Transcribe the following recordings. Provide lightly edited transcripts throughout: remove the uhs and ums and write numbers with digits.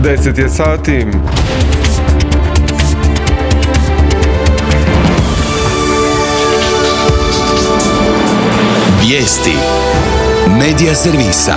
10 je sati. Vijesti Medija servisa.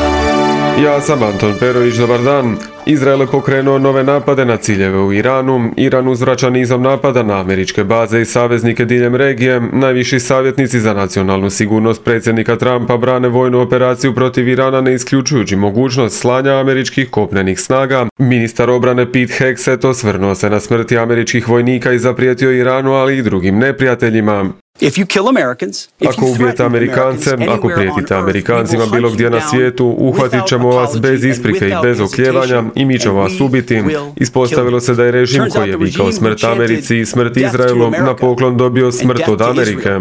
Ja sam Anton Perović, dobar dan. Izrael je pokrenuo nove napade na ciljeve u Iranu. Iran uzvraća nizom napada na američke baze i saveznike diljem regije. Najviši savjetnici za nacionalnu sigurnost predsjednika Trumpa brane vojnu operaciju protiv Irana, ne isključujući mogućnost slanja američkih kopnenih snaga. Ministar obrane Pete Hegseth osvrnuo se na smrti američkih vojnika i zaprijetio Iranu, ali i drugim neprijateljima. Ako ubijete Amerikance, ako prijetite Amerikancima bilo gdje na svijetu, uhvatit ćemo vas bez isprike i bez oklijevanja i mi ćemo vas ubiti. Ispostavilo se da je režim koji je vikao smrt Americi i smrt Izraelu na poklon dobio smrt od Amerike.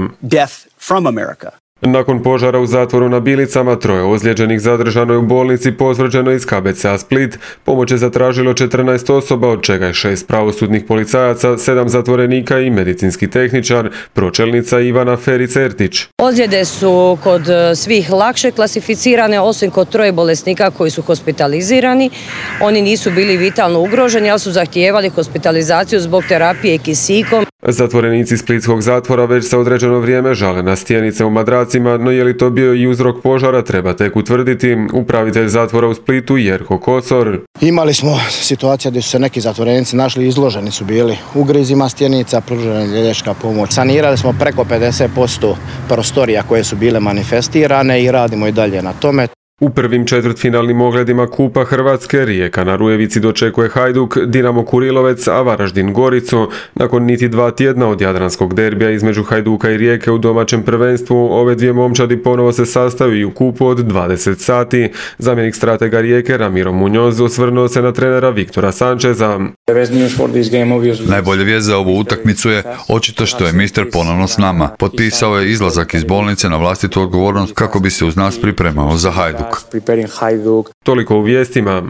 Nakon požara u zatvoru na Bilicama, 3 ozlijeđenih zadržano je u bolnici potvrđeno iz KBC-a Split. Pomoć je zatražilo 14 osoba, od čega je 6 pravosudnih policajaca, 7 zatvorenika i medicinski tehničar, pročelnica Ivana Ferić-Ertić. Ozljede su kod svih lakše klasificirane, osim kod 3 bolesnika koji su hospitalizirani. Oni nisu bili vitalno ugroženi, ali su zahtijevali hospitalizaciju zbog terapije kisikom. Zatvorenici splitskog zatvora već se određeno vrijeme žale na stjenice u madracima, no je li to bio i uzrok požara treba tek utvrditi. Upravitelj zatvora u Splitu Jerko Kosor. Imali smo situacija gdje su se neki zatvorenici našli, izloženi su bili ugrizima stjenica, pružena liječnička pomoć. Sanirali smo preko 50% prostorija koje su bile manifestirane i radimo i dalje na tome. U prvim četvrtfinalnim ogledima Kupa Hrvatske Rijeka na Rujevici dočekuje Hajduk, Dinamo Kurilovec, a Varaždin Goricu. Nakon niti 2 tjedna od jadranskog derbija između Hajduka i Rijeke u domaćem prvenstvu, ove dvije momčadi ponovo se sastaju i u kupu od 20 sati. Zamjenik stratega Rijeke Ramiro Muñoz osvrnuo se na trenera Viktora Sančeza. Najbolja vijest za ovu utakmicu je očito što je mister ponovno s nama. Potpisao je izlazak iz bolnice na vlastitu odgovornost kako bi se uz nas pripremao za Hajduk. Toliko u vijestima.